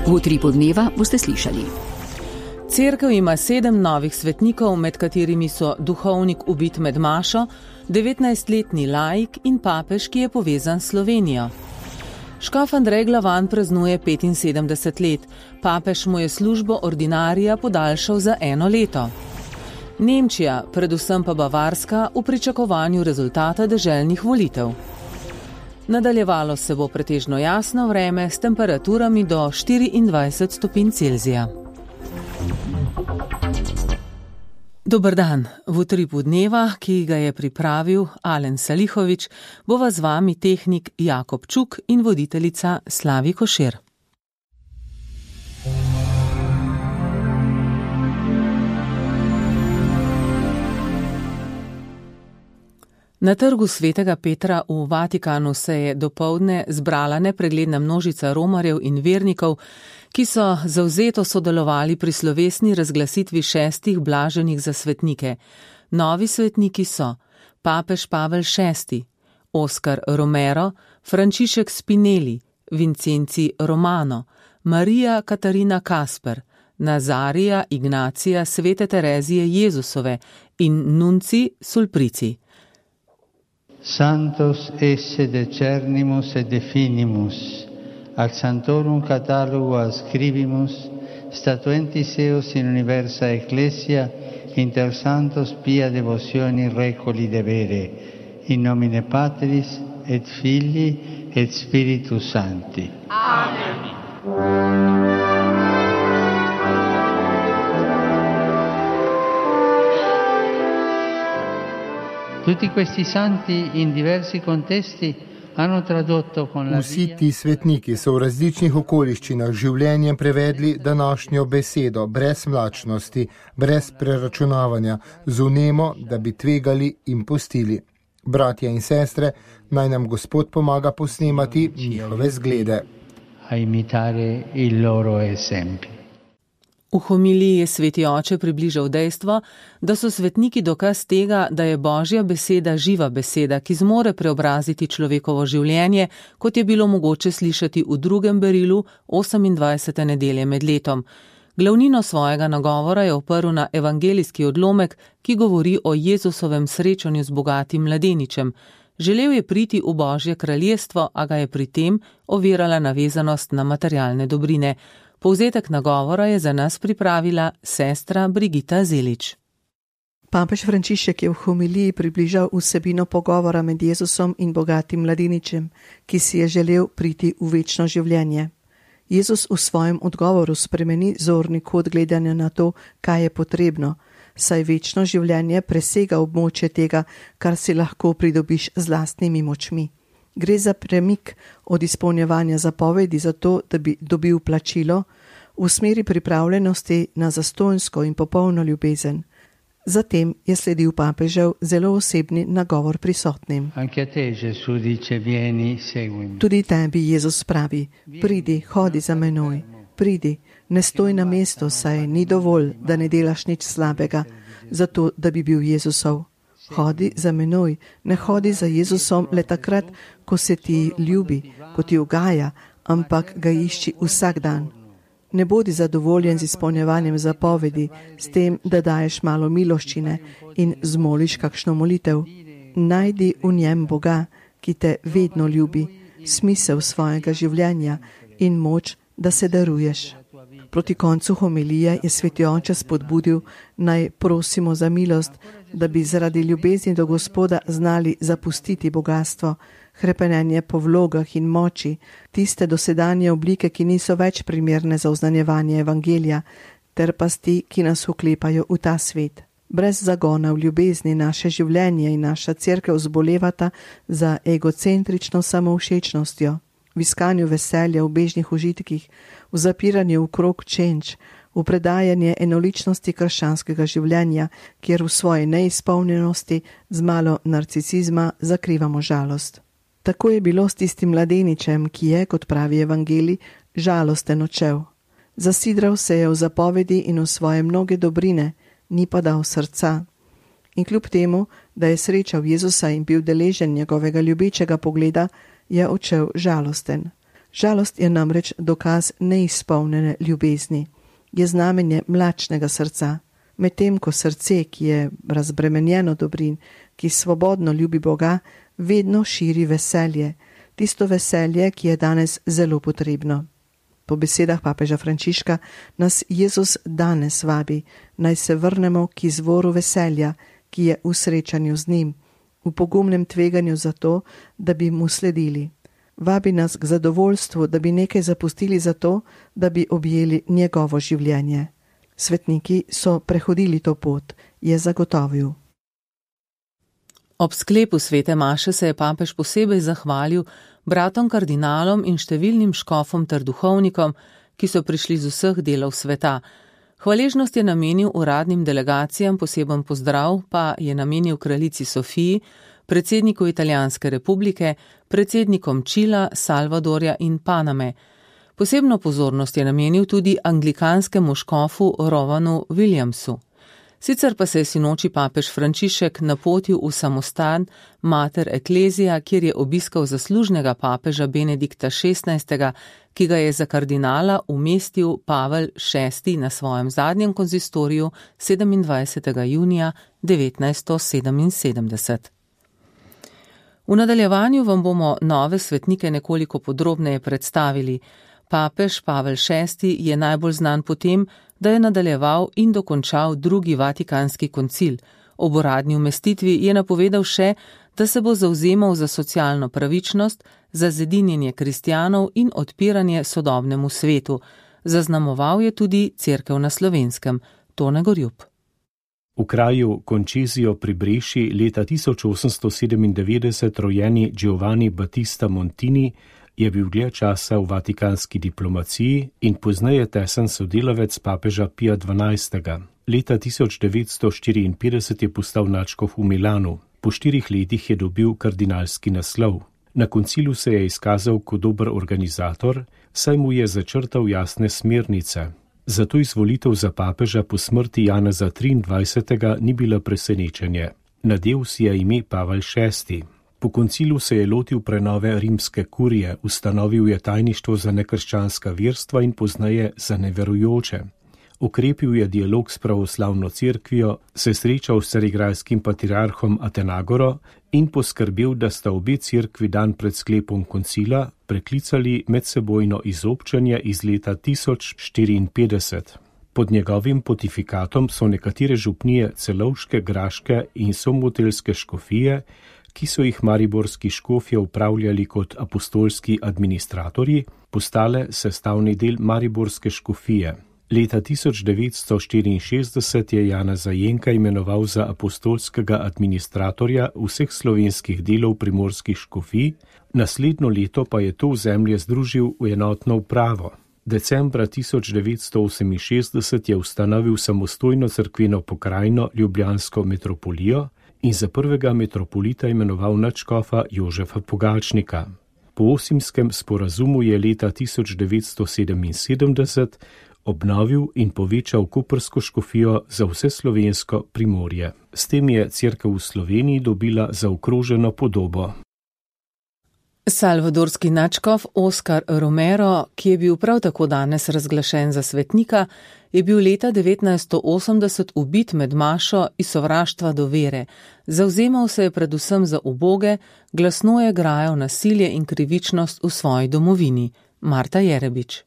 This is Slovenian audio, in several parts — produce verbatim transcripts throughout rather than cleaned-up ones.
V utripu dneva boste slišali. Cerkev ima sedem novih svetnikov, med katerimi so duhovnik ubit med mašo, devetnajstletni laik in papež, ki je povezan s Slovenijo. Škof Andrej Glavan praznuje petinsedemdeset let, papež mu je službo ordinarija podaljšal za eno leto. Nemčija, predvsem pa Bavarska, v pričakovanju rezultata deželnih volitev. Nadaljevalo se bo pretežno jasno vreme s temperaturami do štiriindvajset stopinj Celzija. Dober dan. V utripu dneva, ki ga je pripravil Alen Salihovič, bova z vami tehnik Jakob Čuk in voditeljica Slavi Košir. Na trgu Svetega Petra v Vatikanu se je dopoldne zbrala nepregledna množica romarjev in vernikov, ki so zavzeto sodelovali pri slovesni razglasitvi šestih blaženih za svetnike. Novi svetniki so papež Pavel šesti, Oskar Romero, Frančišek Spinelli, Vincenci Romano, Marija Katarina Kasper, Nazarija Ignacija Svete Terezije Jezusove in Nunci Sulprici. Santos esse decernimus et definimus, ac santorum catalogu ascribimus, statuentis eos in universa ecclesia, inter santos pia devocioni recoli devere, in nomine Patris et Filii et Spiritus Sancti. Amen. Tutti questi santi in diversi contesti hanno tradotto con la Vsi ti svetniki so v različnih okoliščinah življenjem prevedli današnjo besedo brez mlačnosti, brez preračunavanja, z vnemo, da bi tvegali in pustili. Bratje in sestre, naj nam Gospod pomaga posnemati njihove zglede. A imitare il loro esempio. V homiliji je sveti oče približal dejstvo, da so svetniki dokaz tega, da je Božja beseda živa beseda, ki zmore preobraziti človekovo življenje, kot je bilo mogoče slišati v drugem berilu osemindvajsete nedelje med letom. Glavnino svojega nagovora je oprl na evangelijski odlomek, ki govori o Jezusovem srečanju z bogatim mladeničem. Želel je priti v Božje kraljestvo, a ga je pri tem ovirala navezanost na materialne dobrine. Povzetek nagovora je za nas pripravila sestra Brigita Zelič. Papež Frančišek je v homiliji približal vsebino pogovora med Jezusom in bogatim mladeničem, ki si je želel priti v večno življenje. Jezus v svojem odgovoru spremeni zorni kot gledanja na to, kaj je potrebno, saj večno življenje presega območje tega, kar si lahko pridobiš z lastnimi močmi. Gre za premik od izpolnjevanja zapovedi za to, da bi dobil plačilo, v smeri pripravljenosti na zastonjsko in popolno ljubezen. Zatem je sledil papežev zelo osebni nagovor prisotnim. Tudi tebi Jezus pravi, pridi, hodi za menoj, pridi, ne stoj na mestu, saj ni dovolj, da ne delaš nič slabega, zato da bi bil Jezusov. Hodi za menoj, ne hodi za Jezusom le takrat, ko se ti ljubi, ko ti ugaja, ampak ga išči vsak dan. Ne bodi zadovoljen z izpolnjevanjem zapovedi, s tem, da daješ malo miloščine in zmoliš kakšno molitev. Najdi v njem Boga, ki te vedno ljubi, smisel svojega življenja in moč, da se daruješ. Proti koncu homilije je sveti oče spodbudil, naj prosimo za milost, da bi zaradi ljubezni do Gospoda znali zapustiti bogastvo, hrepenenje po vlogah in moči, tiste dosedanje oblike, ki niso več primerne za oznanjevanje evangelija, ter pasti, ki nas vklepajo v ta svet. Brez zagona v ljubezni naše življenje in naša cerkev zbolevata za egocentrično samovšečnostjo, v iskanju veselja v bežnih užitkih, v zapiranju v krog čenč, v predajanje enoličnosti krščanskega življenja, kjer v svoji neizpolnjenosti z malo narcisizma zakrivamo žalost. Tako je bilo s tistim mladeničem, ki je, kot pravi evangelij, žalosten odšel. Zasidral se je v zapovedi in v svoje mnoge dobrine, ni pa dal srca. In kljub temu, da je srečal Jezusa in bil deležen njegovega ljubečega pogleda, je odšel žalosten. Žalost je namreč dokaz neizpolnjene ljubezni, je znamenje mlačnega srca, medtem ko srce, ki je razbremenjeno dobrin, ki svobodno ljubi Boga, vedno širi veselje, tisto veselje, ki je danes zelo potrebno. Po besedah papeža Frančiška nas Jezus danes vabi, naj se vrnemo k izvoru veselja, ki je v srečanju z njim, v pogumnem tveganju za to, da bi mu sledili. Vabi nas k zadovoljstvu, da bi nekaj zapustili za to, da bi objeli njegovo življenje. Svetniki so prehodili to pot, je zagotovil. Ob sklepu svete maše se je papež posebej zahvalil bratom kardinalom in številnim škofom ter duhovnikom, ki so prišli z vseh delov sveta. Hvaležnost je namenil uradnim delegacijam, poseben pozdrav pa je namenil kraljici Sofiji, predsedniku Italijanske republike, predsednikom Čila, Salvadorja in Paname. Posebno pozornost je namenil tudi anglikanskemu škofu Rovanu Williamsu. Sicer pa se je sinoči papež Frančišek napotil v samostan Mater Ecclesia, kjer je obiskal zaslužnega papeža Benedikta šestnajstega, ki ga je za kardinala umestil Pavel šesti na svojem zadnjem konzistoriju sedemindvajsetega junija devetnajststo sedeminsedemdeset. V nadaljevanju vam bomo nove svetnike nekoliko podrobneje predstavili. Papež Pavel šesti je najbolj znan po tem, da je nadaljeval in dokončal drugi vatikanski koncil. Ob uradni umestitvi je napovedal še, da se bo zavzemal za socialno pravičnost, za zedinjenje kristjanov in odpiranje sodobnemu svetu. Zaznamoval je tudi cerkev na Slovenskem. Tone Gorjup. V kraju Concesio pri Breši leta tisoč osemsto sedemindevetdeset rojeni Giovanni Battista Montini je bil dlje časa v vatikanski diplomaciji in pozneje tesen sodelavec papeža Pija dvanajstega. Leta tisoč devetsto štiriinpetdeset je postal nadškof v Milanu. Po štirih letih je dobil kardinalski naslov. Na koncilu se je izkazal kot dober organizator, saj mu je začrtal jasne smernice. Zato izvolitev za papeža po smrti Janeza triindvajsetega ni bila presenečenje. Nadel si je ime Pavel šesti. Po koncilu se je lotil prenove rimske kurije, ustanovil je tajništvo za nekrščanska verstva in pozneje za neverujoče. Okrepil je dialog s pravoslavno cerkvijo, se srečal s carigrajskim patriarhom Atenagoro in poskrbel, da sta obe cerkvi dan pred sklepom koncila preklicali medsebojno izobčenje iz leta tisoč štiriinpetdeset. Pod njegovim pontifikatom so nekatere župnije Celovške, Graške in Somotelske škofije, ki so jih mariborski škofje upravljali kot apostolski administratorji, postale sestavni del mariborske škofije. Leta tisoč devetsto štiriinšestdeset je Janeza Jenka imenoval za apostolskega administratorja vseh slovenskih delov primorskih škofij, naslednjo leto pa je to ozemlje združil v enotno upravo. Decembra tisoč devetsto oseminšestdeset je ustanovil samostojno cerkveno pokrajino Ljubljansko metropolijo in za prvega metropolita imenoval nadškofa Jožefa Pogačnika. Po Osimskem sporazumu je leta tisoč devetsto sedeminsedemdeset obnovil in povečal koprsko škofijo za vse slovensko Primorje. S tem je cerkev v Sloveniji dobila zaokroženo podobo. Salvadorski nadškof Oskar Romero, ki je bil prav tako danes razglašen za svetnika, je bil leta devetnajststo osemdeset ubit med mašo iz sovraštva do vere. Zavzemal se je predvsem za uboge, glasno je grajal nasilje in krivičnost v svoji domovini. Marta Jerebič.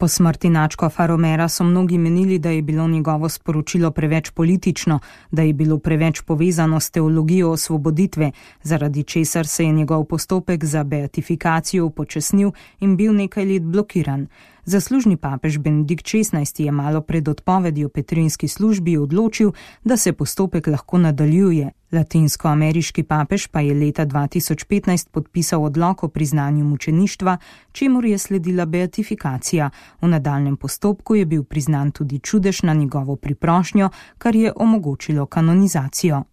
Po smrti nadškofa Romera so mnogi menili, da je bilo njegovo sporočilo preveč politično, da je bilo preveč povezano s teologijo osvoboditve, zaradi česar se je njegov postopek za beatifikacijo upočasnil in bil nekaj let blokiran. Zaslužni papež Benedikt šestnajsti je malo pred odpovedjo petrinski službi odločil, da se postopek lahko nadaljuje. Latinskoameriški papež pa je leta dva tisoč petnajst podpisal odlok o priznanju mučeništva, čemur je sledila beatifikacija. V nadaljnjem postopku je bil priznan tudi čudež na njegovo priprošnjo, kar je omogočilo kanonizacijo.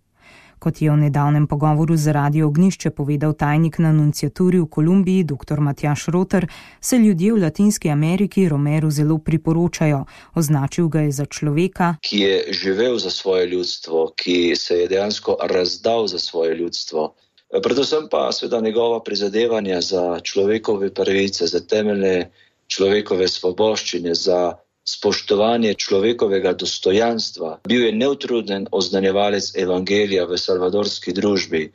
Kot je v nedavnem pogovoru z Radio Ognjišče povedal tajnik na nunciaturi v Kolumbiji dr. Matjaž Roter, se ljudje v Latinski Ameriki Romeru zelo priporočajo. Označil ga je za človeka, ki je živel za svoje ljudstvo, ki se je dejansko razdal za svoje ljudstvo. Predvsem pa seveda njegova prizadevanja za človekove pravice, za temeljne človekove svoboščine, za spoštovanje človekovega dostojanstva. Bil je neutruden oznanjevalec evangelija v salvadorski družbi,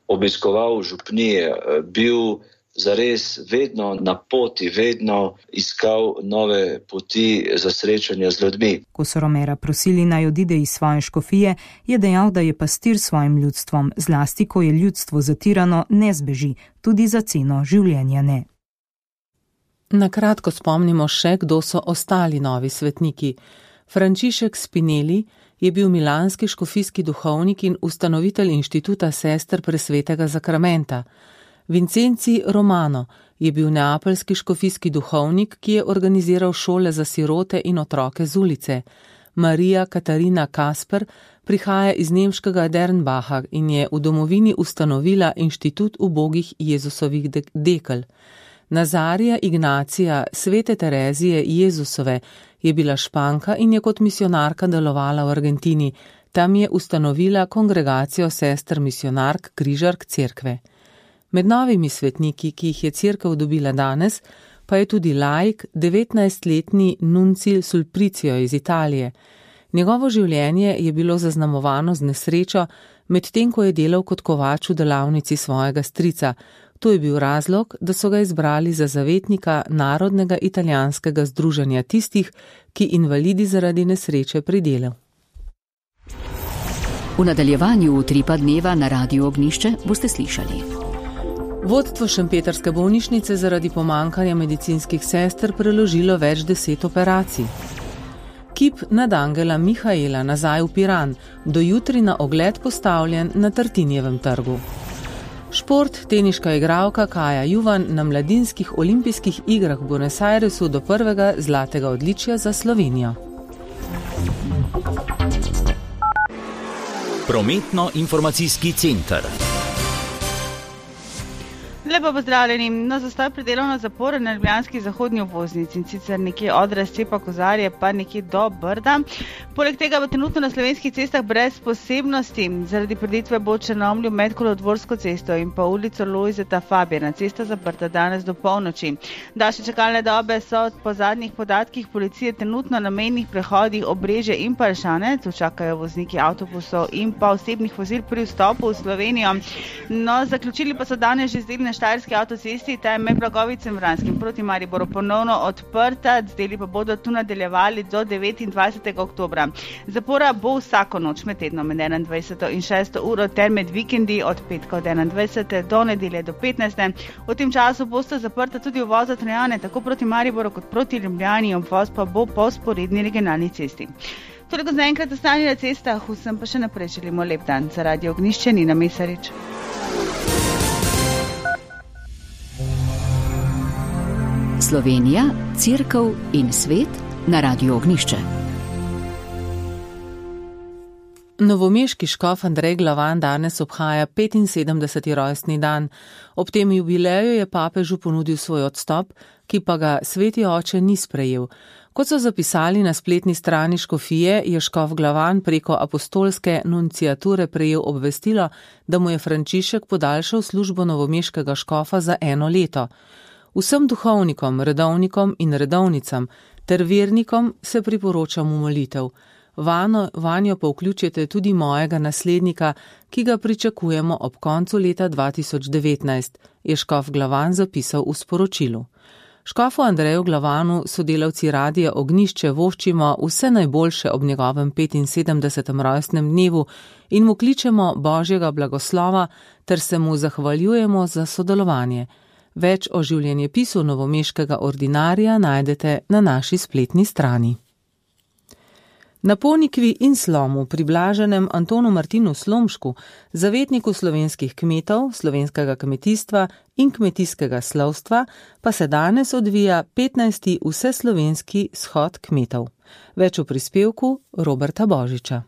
obiskoval župnije, bil zares vedno na poti, vedno iskal nove poti za srečanje z ljudmi. Ko so Romera prosili naj odide iz svoje škofije, je dejal, da je pastir svojim ljudstvom, zlasti ko je ljudstvo zatirano, ne zbeži, tudi za ceno življenja ne. Na kratko spomnimo še, kdo so ostali novi svetniki. Frančišek Spinelli je bil milanski škofijski duhovnik in ustanovitelj inštituta sester presvetega zakramenta. Vincenci Romano je bil neapeljski škofijski duhovnik, ki je organiziral šole za sirote in otroke z ulice. Marija Katarina Kasper prihaja iz nemškega Dernbacha in je v domovini ustanovila inštitut ubogih Jezusovih dekel. Nazarija Ignacija svete Terezije Jezusove je bila Španka in je kot misionarka delovala v Argentini. Tam je ustanovila kongregacijo sester misionark Križark cerkve. Med novimi svetniki, ki jih je cerkev dobila danes, pa je tudi laik, devetnajstletni Nuncil Sulpricio iz Italije. Njegovo življenje je bilo zaznamovano z nesrečo, medtem ko je delal kot kovač v delavnici svojega strica. To je bil razlog, da so ga izbrali za zavetnika Narodnega italijanskega združenja tistih, ki invalidi zaradi nesreče pri delu. V nadaljevanju Utripa dneva na Radiu Ognjišče boste slišali. Vodstvo šempetrske bolnišnice zaradi pomankanja medicinskih sester preložilo več deset operacij. Kip nadangela Mihaela nazaj v Piran, do jutri na ogled postavljen na Tartinjevem trgu. Šport, teniška igralka Kaja Juvan na mladinskih olimpijskih igrah v Buenos Airesu do prvega zlatega odličja za Slovenijo. Prometno-informacijski center. Lepo pozdravljeni. Na zastoj pri delovno zaporo na ljubljanski zahodni obvoznici in sicer nekje od razcepa Kozarje pa nekje do Brda. Poleg tega bo trenutno na slovenskih cestah brez posebnosti. Zaradi preditve bo Črnomlju med Kolodvorsko cesto in pa ulico Lojzeta Fabijana. Cesta zaprta danes do polnoči. Daljše čakalne dobe so po zadnjih podatkih policije trenutno na mejnih prehodih Obrežje in pa Ršanec. Čakajo vozniki avtobusov in pa osebnih vozil pri vstopu v Slovenijo. No, zaključili pa so danes že zdaj na Štajerski avtocesti, ta je med Blagovicem Vranskim proti Mariboru ponovno odprta, zdeli pa bodo tu nadaljevali do devetindvajsetega oktobra. Zapora bo vsako noč med tednom med enaindvajseto in šesto uro ter med vikendi od petka od enaindvajsete do nedelje do petnajste. V tem času bosta zaprta tudi uvoza Trojane, tako proti Mariboru kot proti Ljubljani, obvoz pa bo po sporedni regionalni cesti. Toliko za enkrat ostanje na cestah, vsem pa še naprej želimo lep dan. Za Radio Ognjišče Nina Mesarič. Slovenija, cerkev in svet na Radiu Ognjišče. Novomeški škof Andrej Glavan danes obhaja petinsedemdeseti rojstni dan. Ob tem jubileju je papežu ponudil svoj odstop, ki pa ga sveti oče ni sprejel. Kot so zapisali na spletni strani škofije, je škof Glavan preko apostolske nunciature prejel obvestilo, da mu je Frančišek podaljšal službo novomeškega škofa za eno leto. Vsem duhovnikom, redovnikom in redovnicam ter vernikom se priporočam v molitev. Vano, vanjo pa vključite tudi mojega naslednika, ki ga pričakujemo ob koncu leta dva tisoč devetnajst, je škof Glavan zapisal v sporočilu. Škofu Andreju Glavanu sodelavci Radia Ognjišče voščimo vse najboljše ob njegovem petinsedemdesetem rojstnem dnevu in mu kličemo Božjega blagoslova ter se mu zahvaljujemo za sodelovanje. Več o življenjepisu novomeškega ordinarija najdete na naši spletni strani. Na Ponikvi in Slomu pri blaženem Antonu Martinu Slomšku, zavetniku slovenskih kmetov, slovenskega kmetijstva in kmetijskega slovstva, pa se danes odvija petnajsti vseslovenski shod kmetov. Več v prispevku Roberta Božiča.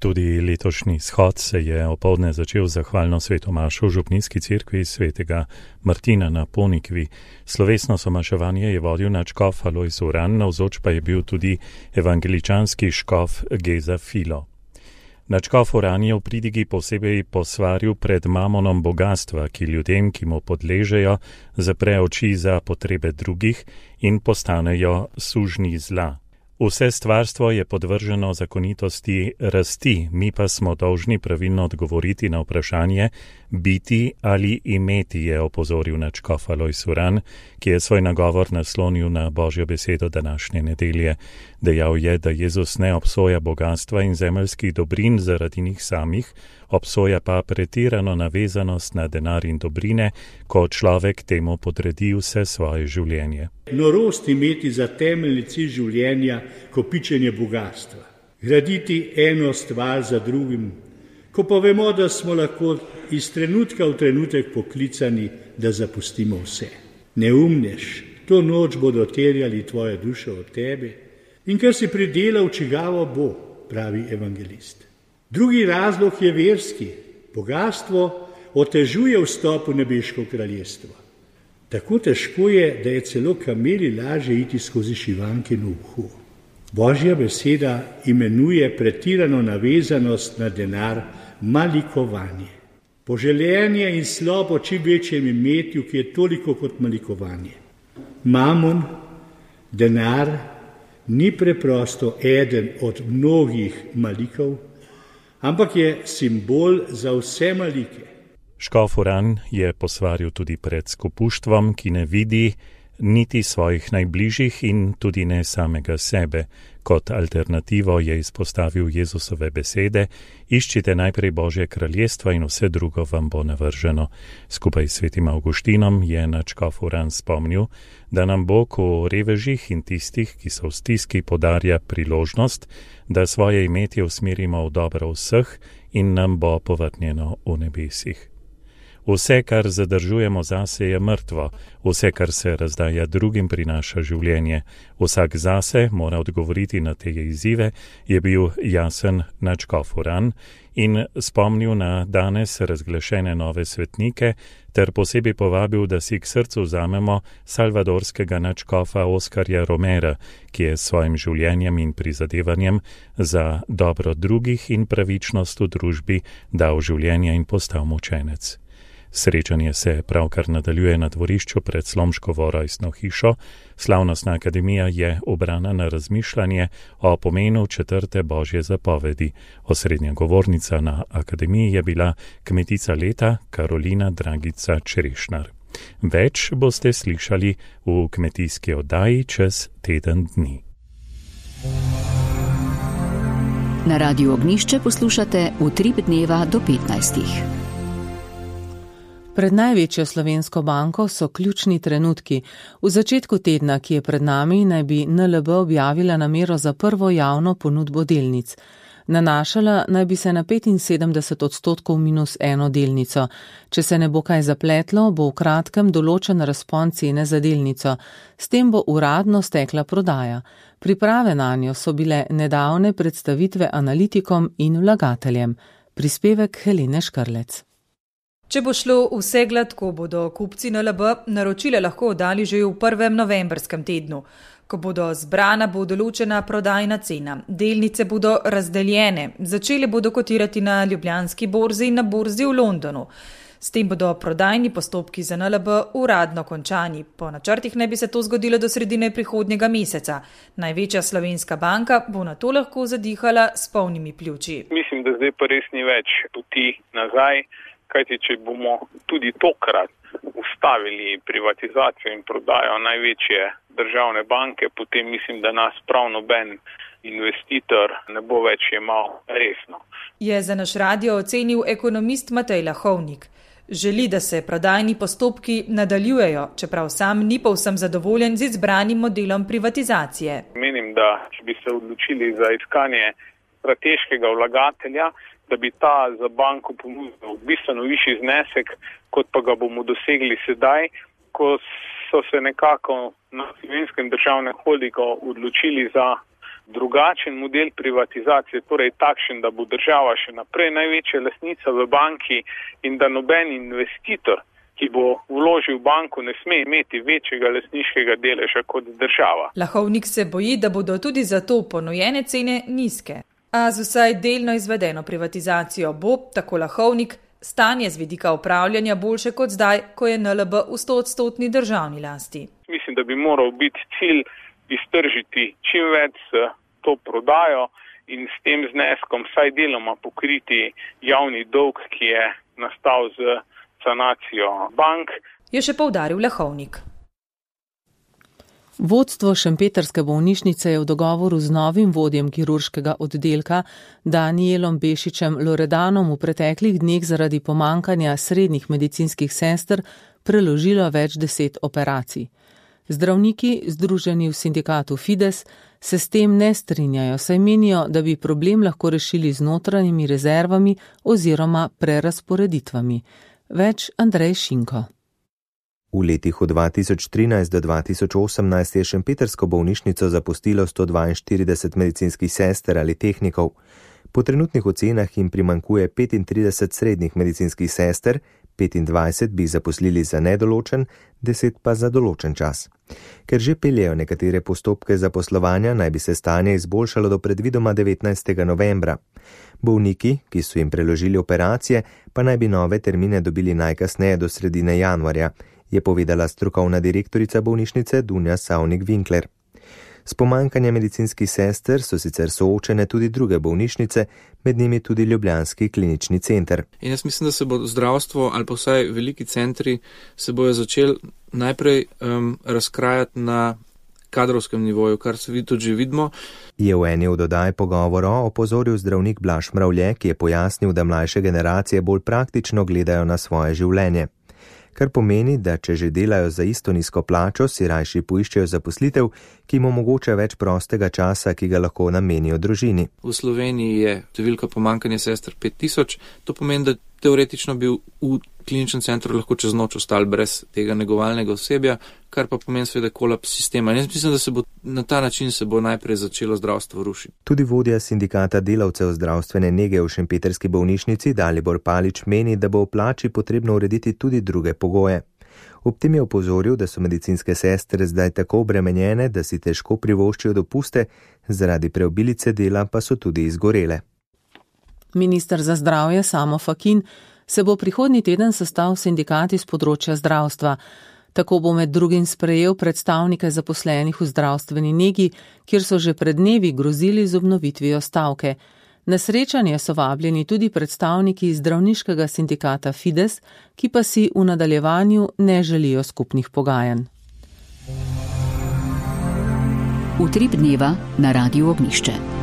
Tudi letošnji shod se je opoldne začel zahvalno svetomašo v župnijski cerkvi svetega Martina na Ponikvi. Slovesno somaševanje je vodil nadškof Alojz Uran, navzoč pa je bil tudi evangeličanski škof Geza Filo. Nadškof Uran je v pridigi posebej posvaril pred mamonom bogatstva, ki ljudem, ki mu podležejo, zapre oči za potrebe drugih in postanejo sužnji zla. Vse stvarstvo je podvrženo zakonitosti rasti, mi pa smo dolžni pravilno odgovoriti na vprašanje biti ali imeti, je opozoril nadškof Alojz Uran, ki je svoj nagovor naslonil na Božjo besedo današnje nedelje. Dejal je, da Jezus ne obsoja bogatstva in zemeljskih dobrin zaradi njih samih, obsoja pa pretirano navezanost na denar in dobrine, ko človek temu podredi vse svoje življenje. Norost imeti za temeljni cilj življenja kopičenje bogatstva, graditi eno stvar za drugim, ko pa vemo, da smo lahko iz trenutka v trenutek poklicani, da zapustimo vse. Neumnež, to noč bodo terjali tvojo dušo od tebe in kar si pridelal, čigavo bo, pravi evangelist. Drugi razlog je verski. Bogatstvo otežuje vstop v nebeško kraljestvo. Tako težko je, da je celo kameli lažje iti skozi šivankino uho. Božja beseda imenuje pretirano navezanost na denar malikovanje. Poželenje in slabo čim večjem imetju, ki je toliko kot malikovanje. Mamon, denar, ni preprosto eden od mnogih malikov, ampak je simbol za vse malike. Škof Uran je posvaril tudi pred skupuštvom, ki ne vidi niti svojih najbližjih in tudi ne samega sebe. Kot alternativo je izpostavil Jezusove besede: iščite najprej Božje kraljestvo in vse drugo vam bo navrženo. Skupaj s svetim Avguštinom je nadškof Uran spomnil, da nam Bog v revežih in tistih, ki so v stiski, podarja priložnost, da svoje imetje usmerimo v dobro vseh in nam bo povrnjeno v nebesih. Vse, kar zadržujemo zase, je mrtvo, vse, kar se razdaja drugim, prinaša življenje. Vsak zase mora odgovoriti na te izzive, je bil jasen nadškof Uran in spomnil na danes razglašene nove svetnike ter posebej povabil, da si k srcu vzamemo salvadorskega nadškofa Oskarja Romera, ki je s svojim življenjem in prizadevanjem za dobro drugih in pravičnost v družbi dal življenje in postal mučenec. Srečanje se pravkar nadaljuje na dvorišču pred Slomškovo rojstno hišo. Slavnostna akademija je obrana na razmišljanje o pomenu četrte Božje zapovedi. Osrednja govornica na akademiji je bila kmetica leta Karolina Dragica Čerešnar. Več boste slišali v kmetijski oddaji čez teden dni. Na Radiu Ognišče poslušate Utrip dneva do petnajstih. Pred največjo slovensko banko so ključni trenutki. V začetku tedna, ki je pred nami, naj bi N L B objavila namero za prvo javno ponudbo delnic. Nanašala naj bi se na petinsedemdeset odstotkov minus eno delnico. Če se ne bo kaj zapletlo, bo v kratkem določen razpon cene za delnico. S tem bo uradno stekla prodaja. Priprave nanjo so bile nedavne predstavitve analitikom in vlagateljem. Prispevek Helene Škrlec. Če bo šlo vse gladko, bodo kupci N L B naročile lahko oddali že v prvem novembrskem tednu. Ko bodo zbrana, bo določena prodajna cena. Delnice bodo razdeljene. Začele bodo kotirati na Ljubljanski borzi in na borzi v Londonu. S tem bodo prodajni postopki za N L B uradno končani. Po načrtih naj bi se to zgodilo do sredine prihodnjega meseca. Največja slovenska banka bo na to lahko zadihala s polnimi pljuči. Mislim, da zdaj pa res ni več poti nazaj. Kajti, če bomo tudi tokrat ustavili privatizacijo in prodajo največje državne banke, potem mislim, da nas prav noben investitor ne bo več jemal resno. Je za naš radio ocenil ekonomist Matej Lahovnik. Želi, da se prodajni postopki nadaljujejo, čeprav sam ni povsem zadovoljen z izbranim modelom privatizacije. Menim, da če bi se odločili za iskanje strateškega vlagatelja, da bi ta za banko ponudil bistveno višji znesek, kot pa ga bomo dosegli sedaj, ko so se nekako na Slovenskem državnem holdingu odločili za drugačen model privatizacije, torej takšen, da bo država še naprej največja lastnica v banki in da noben investitor, ki bo vložil v banko, ne sme imeti večjega lastniškega deleža kot država. Lahovnik se boji, da bodo tudi zato ponujene cene nizke. A z vsaj delno izvedeno privatizacijo bo, tako Lahovnik, stanje z vidika upravljanja boljše kot zdaj, ko je N L B v stoodstotni državni lasti. Mislim, da bi moral biti cilj iztržiti čim več s to prodajo in s tem zneskom vsaj deloma pokriti javni dolg, ki je nastal z sanacijo bank. Je še poudaril Lahovnik. Vodstvo šempetrske bolnišnice je v dogovoru z novim vodjem kirurškega oddelka Danielom Bešičem Loredanom v preteklih dneh zaradi pomankanja srednjih medicinskih sester preložilo več deset operacij. Zdravniki, združeni v sindikatu Fides, se s tem ne strinjajo, saj menijo, da bi problem lahko rešili z notranjimi rezervami oziroma prerasporeditvami. Več Andrej Šinko. V letih od dva tisoč trinajst do dva tisoč osemnajst je šempetrsko bolnišnico zapustilo sto dvainštirideset medicinskih sester ali tehnikov. Po trenutnih ocenah jim primankuje petintrideset srednjih medicinskih sester, petindvajset bi zaposlili za nedoločen, deset pa za določen čas. Ker že peljejo nekatere postopke zaposlovanja, naj bi se stanje izboljšalo do predvidoma devetnajstega novembra. Bolniki, ki so jim preložili operacije, pa naj bi nove termine dobili najkasneje do sredine januarja, je povedala strokovna direktorica bolnišnice Dunja Savnik-Winkler. S pomankanjem medicinskih sester so sicer soočene tudi druge bolnišnice, med njimi tudi ljubljanski klinični center. In jaz mislim, da se bo zdravstvo ali pa vsaj veliki centri se bojo začeli najprej um, razkrajati na kadrovskem nivoju, kar se tudi že vidimo. Je v eni od oddaj pogovora opozoril zdravnik Blaž Mravlje, ki je pojasnil, da mlajše generacije bolj praktično gledajo na svoje življenje. Kar pomeni, da če že delajo za isto nizko plačo, si rajši poiščejo zaposlitev, ki jim omogoča več prostega časa, ki ga lahko namenijo družini. V Sloveniji je številka pomankanja sester pet tisoč, to pomeni, da teoretično bi v kliničnem centru lahko čez noč ostali brez tega negovalnega osebja, kar pa pomeni seveda kolaps sistema. Jaz mislim, da se bo na ta način se bo najprej začelo zdravstvo rušiti. Tudi vodja sindikata delavcev zdravstvene nege v šempetrski bolnišnici Dalibor Palič meni, da bo v plači potrebno urediti tudi druge pogoje. Ob tem je opozoril, da so medicinske sestre zdaj tako obremenjene, da si težko privoščijo dopuste, zaradi preobilice dela pa so tudi izgorele. Minister za zdravje Samo Fakin se bo prihodnji teden sestal s sindikati z področja zdravstva. Tako bo med drugim sprejel predstavnike zaposlenih v zdravstveni negi, kjer so že pred dnevi grozili z obnovitvijo stavke. Na srečanje so vabljeni tudi predstavniki zdravniškega sindikata Fides, ki pa si v nadaljevanju ne želijo skupnih pogajanj. Utrip dneva na Radiu Ognišče.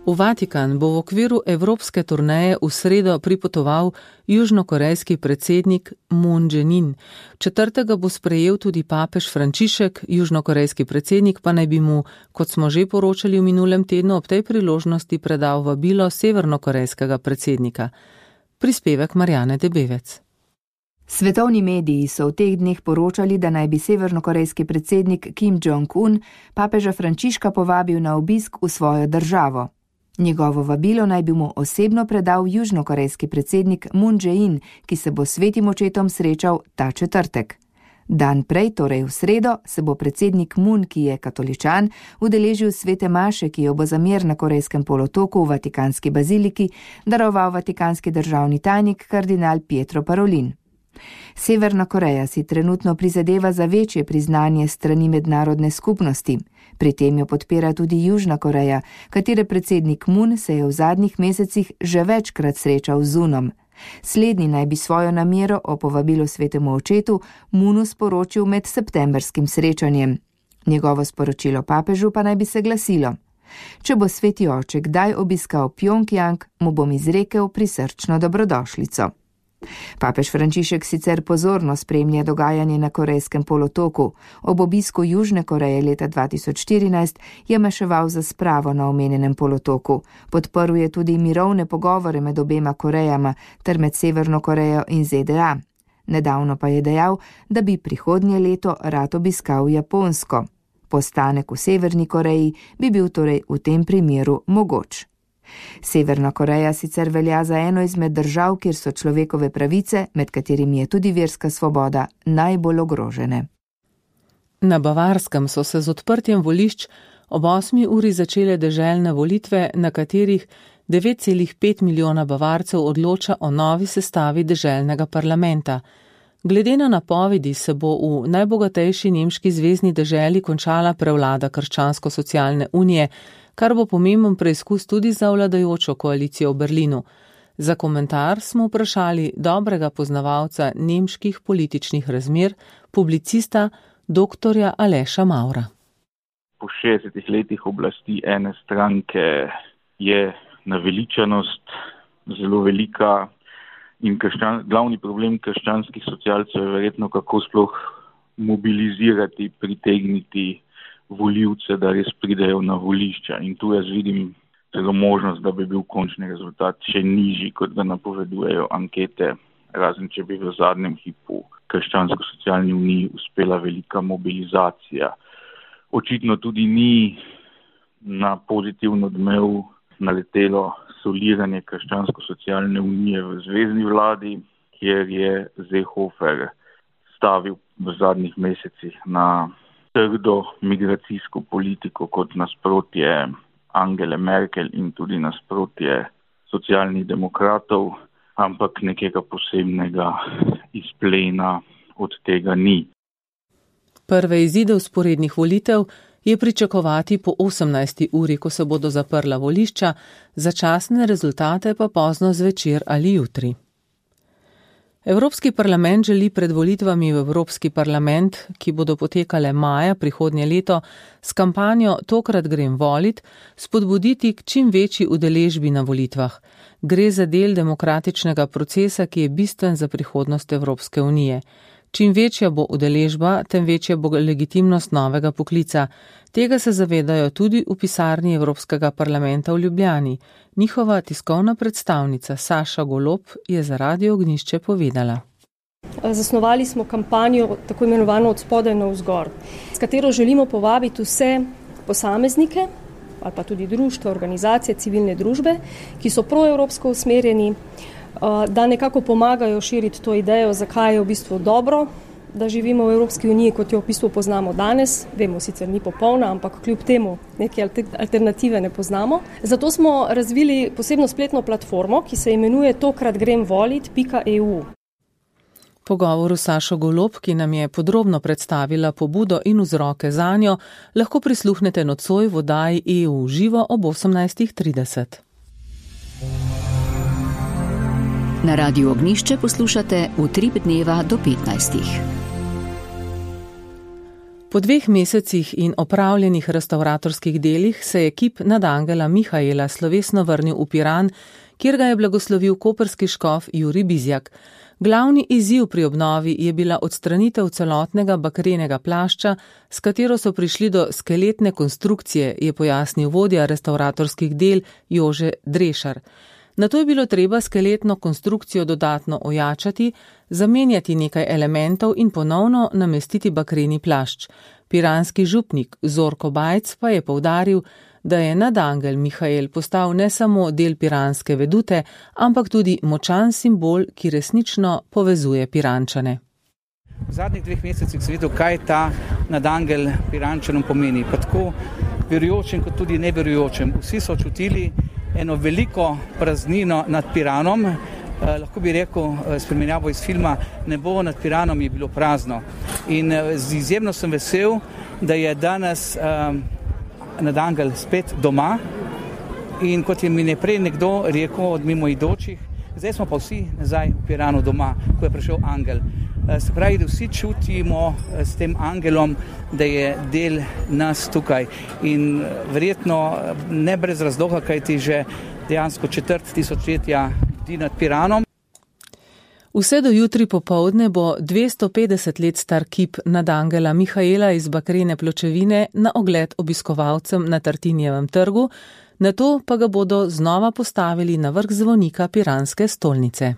V Vatikan bo v okviru evropske turneje v sredo pripotoval južnokorejski predsednik Moon Jae-in. Četrtega bo sprejel tudi papež Frančišek, južnokorejski predsednik pa naj bi mu, kot smo že poročali v minulem tednu, ob tej priložnosti predal vabilo severnokorejskega predsednika. Prispevek Marjane Debevec. Svetovni mediji so v teh dneh poročali, da naj bi severnokorejski predsednik Kim Jong-un papeža Frančiška povabil na obisk v svojo državo. Njegovo vabilo naj bi mu osebno predal južnokorejski predsednik Moon Jae-in, ki se bo s svetim očetom srečal ta četrtek. Dan prej, torej v sredo, se bo predsednik Moon, ki je katoličan, udeležil svete maše, ki jo bo za mir na Korejskem polotoku v Vatikanski baziliki daroval vatikanski državni tajnik kardinal Pietro Parolin. Severna Koreja si trenutno prizadeva za večje priznanje strani mednarodne skupnosti. Pri tem jo podpira tudi Južna Koreja, katere predsednik Moon se je v zadnjih mesecih že večkrat srečal z Unom. Slednji naj bi svojo namero o povabilu svetemu očetu Moonu sporočil med septembrskim srečanjem. Njegovo sporočilo papežu pa naj bi se glasilo: če bo sveti oče kdaj obiskal Pjongjang, mu bom izrekel prisrčno dobrodošlico. Papež Frančišek sicer pozorno spremlja dogajanje na Korejskem polotoku. Ob obisku Južne Koreje leta dva tisoč štirinajst je maševal za spravo na omenjenem polotoku. Podprl je tudi mirovne pogovore med obema Korejama ter med Severno Korejo in Z D A. Nedavno pa je dejal, da bi prihodnje leto rad obiskal Japonsko. Postanek v Severni Koreji bi bil torej v tem primeru mogoč. Severna Koreja sicer velja za eno izmed držav, kjer so človekove pravice, med katerimi je tudi verska svoboda, najbolj ogrožene. Na Bavarskem so se z odprtjem volišč ob osmi uri začele deželne volitve, na katerih devet celih pet milijona Bavarcev odloča o novi sestavi deželnega parlamenta. Glede na napovedi se bo v najbogatejši nemški zvezni deželi končala prevlada krščansko-socialne unije, kar bo pomemben preizkus tudi za vladajočo koalicijo v Berlinu. Za komentar smo vprašali dobrega poznavalca nemških političnih razmer, publicista doktorja Aleša Maura. Po šestdesetih letih oblasti ene stranke je naveličanost zelo velika in krščan, glavni problem krščanskih socialcev je verjetno, kako sploh mobilizirati, pritegniti volivce, da res pridejo na volišča. In tu jaz vidim celo možnost, da bi bil končni rezultat še nižji, kot ga napovedujejo ankete, razen če bi v zadnjem hipu krščansko-socialni uniji uspela velika mobilizacija. Očitno tudi ni na pozitivno odmev naletelo soliranje krščansko-socialne unije v zvezni vladi, kjer je Seehofer stavil v zadnjih mesecih na trdo migracijsko politiko kot nasprotje Angele Merkel in tudi nasprotje socialnih demokratov, ampak nekega posebnega izplena od tega ni. Prve izide vzporednih volitev je pričakovati po osemnajsti uri, ko se bodo zaprla volišča, začasne rezultate pa pozno zvečer ali jutri. Evropski parlament želi pred volitvami v Evropski parlament, ki bodo potekale maja prihodnje leto, s kampanjo Tokrat grem volit, spodbuditi k čim večji udeležbi na volitvah. Gre za del demokratičnega procesa, ki je bistven za prihodnost Evropske unije. Čim večja bo udeležba, tem večja bo legitimnost novega poklica. Tega se zavedajo tudi v pisarni Evropskega parlamenta v Ljubljani. Njihova tiskovna predstavnica Saša Golob je za Radio Ognjišče povedala. Zasnovali smo kampanjo tako imenovano od spodaj navzgor, s katero želimo povabiti vse posameznike ali pa tudi društva, organizacije, civilne družbe, ki so proevropsko usmerjeni, da nekako pomagajo širiti to idejo, zakaj je v bistvu dobro, da živimo v Evropski uniji, kot jo v bistvu poznamo danes. Vemo, sicer ni popolna, ampak kljub temu neke alternative ne poznamo. Zato smo razvili posebno spletno platformo, ki se imenuje tokrat grem volit pika e u. Pogovoru Sašo Golob, ki nam je podrobno predstavila pobudo in vzroke zanjo, lahko prisluhnete nocoj v oddaji E U živo ob osemnajstih trideset. Na Radiu Ognjišče poslušate Utrip dneva do petnajstih. Po dveh mesecih in opravljenih restavratorskih delih se je kip nadangela Mihaela slovesno vrnil v Piran, kjer ga je blagoslovil koprski škof Jurij Bizjak. Glavni izziv pri obnovi je bila odstranitev celotnega bakrenega plašča, s katero so prišli do skeletne konstrukcije, je pojasnil vodja restavratorskih del Jože Drešar. Nato je bilo treba skeletno konstrukcijo dodatno ojačati, zamenjati nekaj elementov in ponovno namestiti bakreni plašč. Piranski župnik Zorko Bajc pa je poudaril, da je nadangel Mihael postal ne samo del piranske vedute, ampak tudi močan simbol, ki resnično povezuje Pirančane. V zadnjih dveh mesecih sem videl, kaj ta nadangel Pirančanom pomeni. Pa tako verujočem, kot tudi neverujočem. Vsi so čutili eno veliko praznino nad Piranom. Eh, lahko bi rekel, s primerjavo iz filma, nebo nad Piranom je bilo prazno. In eh, izjemno sem vesel, da je danes eh, nadangel spet doma. In kot je mi neprej nekdo rekel od mimoidočih, zdaj smo pa vsi nazaj v Piranu doma, ko je prišel angel. Eh, se pravi, da vsi čutimo eh, s tem angelom, da je del nas tukaj. In eh, verjetno ne brez razloga, kajti že dejansko četrt tisočletja nad Piranom. Vse do jutri popoldne bo dvesto petdeset let star kip nadangela Mihaela iz bakrene pločevine na ogled obiskovalcem na Tartinijevem trgu, nato pa ga bodo znova postavili na vrh zvonika piranske stolnice.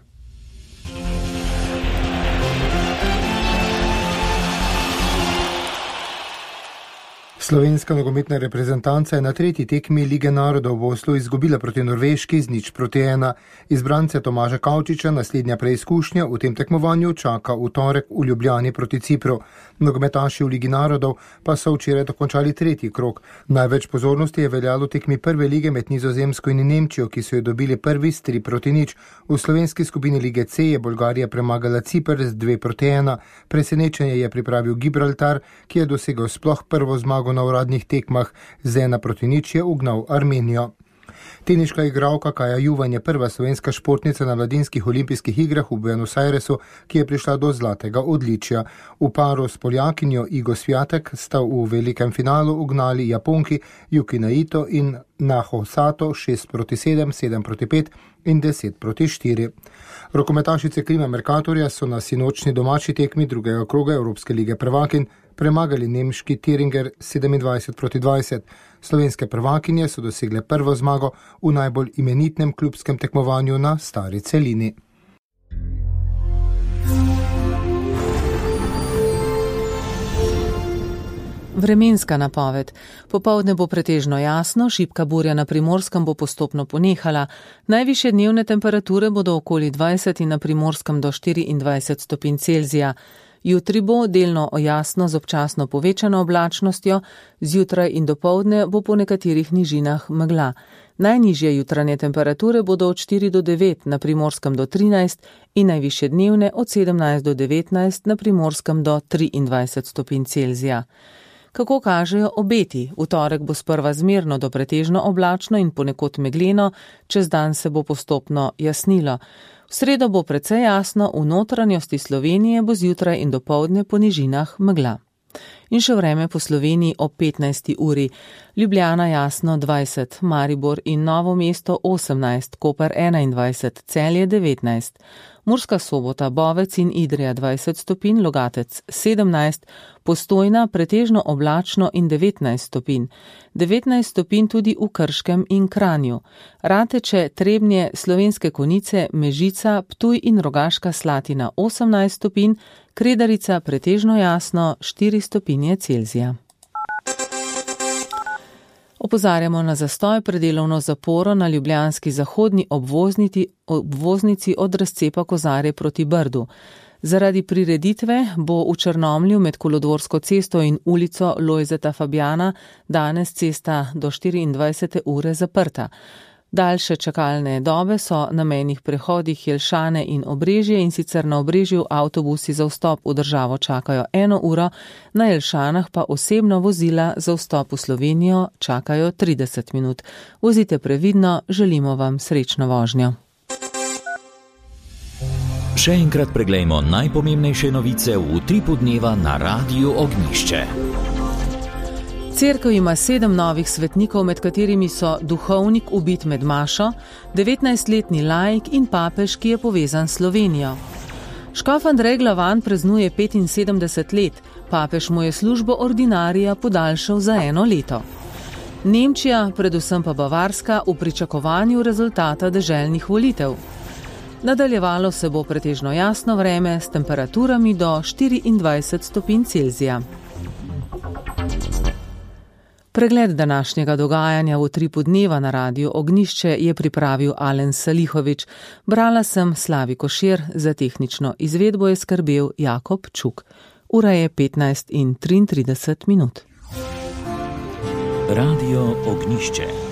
Slovenska nogometna reprezentanca je na tretji tekmi Lige narodov v Oslu izgubila proti Norveški z nič proti ena. Izbrance Tomaža Kavčiča naslednja preizkušnja v tem tekmovanju čaka v torek v Ljubljani proti Cipru. Nogometaši v Ligi narodov pa so včeraj dokončali tretji krog. Največ pozornosti je veljalo tekmi prve lige med Nizozemsko in Nemčijo, ki so jo dobili prvi s tri proti nič. V slovenski skupini Lige C je Bolgarija premagala Cipr z dve proti ena. Presenečenje je pripravil Gibraltar, ki je dosegel sploh prvo zmago na uradnih tekmah, z ena proti nič je ugnal Armenijo. Teniška igralka Kaja Juvan je prva slovenska športnica na mladinskih olimpijskih igrah v Buenos Airesu, ki je prišla do zlatega odličja. V paru s Poljakinjo Igo Sviatek sta v velikem finalu ugnali Japonki Yuki Naito in Naho Sato šest proti sedem, sedem proti pet in deset proti štiri. Rokometašice Klima Mercatorja so na sinočni domači tekmi drugega kroga Evropske lige prvakinj premagali nemški Thüringer sedemindvajset proti dvajset. Slovenske prvakinje so dosegle prvo zmago v najbolj imenitnem klubskem tekmovanju na stari celini. Vremenska napoved. Popoldne bo pretežno jasno, šibka burja na Primorskem bo postopno ponehala. Najvišje dnevne temperature bodo okoli dvajset in na Primorskem do štiriindvajset stopinj Celzija. Jutri bo delno jasno z občasno povečano oblačnostjo, zjutraj in dopoldne bo po nekaterih nižinah megla. Najnižje jutranje temperature bodo od štiri do devet, na Primorskem do trinajst in najvišje dnevne od sedemnajst do devetnajst, na Primorskem do triindvajset stopinj Celzija. Kako kažejo obeti? V torek bo sprva zmerno do pretežno oblačno in ponekod megleno, čez dan se bo postopno jasnilo. V sredo bo precej jasno, v notranjosti Slovenije bo zjutraj in dopoldne po nižinah megla. In še vreme po Sloveniji ob petnajsti uri. Ljubljana jasno dvajset, Maribor in Novo mesto osemnajst, Koper enaindvajset, Celje devetnajst, Murska Sobota, Bovec in Idrija dvajset stopinj, Logatec sedemnajst, Postojna pretežno oblačno in devetnajst stopinj, devetnajst stopinj tudi v Krškem in Kranju, Rateče, Trebnje, Slovenske Konjice, Mežica, Ptuj in Rogaška Slatina osemnajst stopinj, Kredarica pretežno jasno štiri stopinje Celzija. Opozarjamo na zastoj pred delovno zaporo na ljubljanski zahodni obvoznici, obvoznici od razcepa Kozarje proti Brdu. Zaradi prireditve bo v Črnomlju med Kolodvorsko cesto in ulico Lojzeta Fabjana danes cesta do štiriindvajsete ure zaprta. Daljše čakalne dobe so na mejnih prehodih Jelšane in Obrežje, in sicer na Obrežju avtobusi za vstop v državo čakajo eno uro, na Jelšanah pa osebno vozila za vstop v Slovenijo čakajo trideset minut. Vozite previdno, želimo vam srečno vožnjo. Še enkrat preglejmo najpomembnejše novice v utripu dneva na Radiu Ognjišče. Cerkev ima sedem novih svetnikov, med katerimi so duhovnik ubit med mašo, devetnajstletni laik in papež, ki je povezan s Slovenijo. Škof Andrej Glavan praznuje petinsedemdeset let, papež mu je službo ordinarija podaljšal za eno leto. Nemčija, predvsem pa Bavarska, v pričakovanju rezultata deželnih volitev. Nadaljevalo se bo pretežno jasno vreme s temperaturami do štiriindvajset stopinj Celzija. Pregled današnjega dogajanja v utripu dneva na Radiu Ognjišče je pripravil Alen Salihovič. Brala sem Slavi Košir, za tehnično izvedbo je skrbel Jakob Čuk. Ura je petnajst in triintrideset minut. Radio Ognjišče.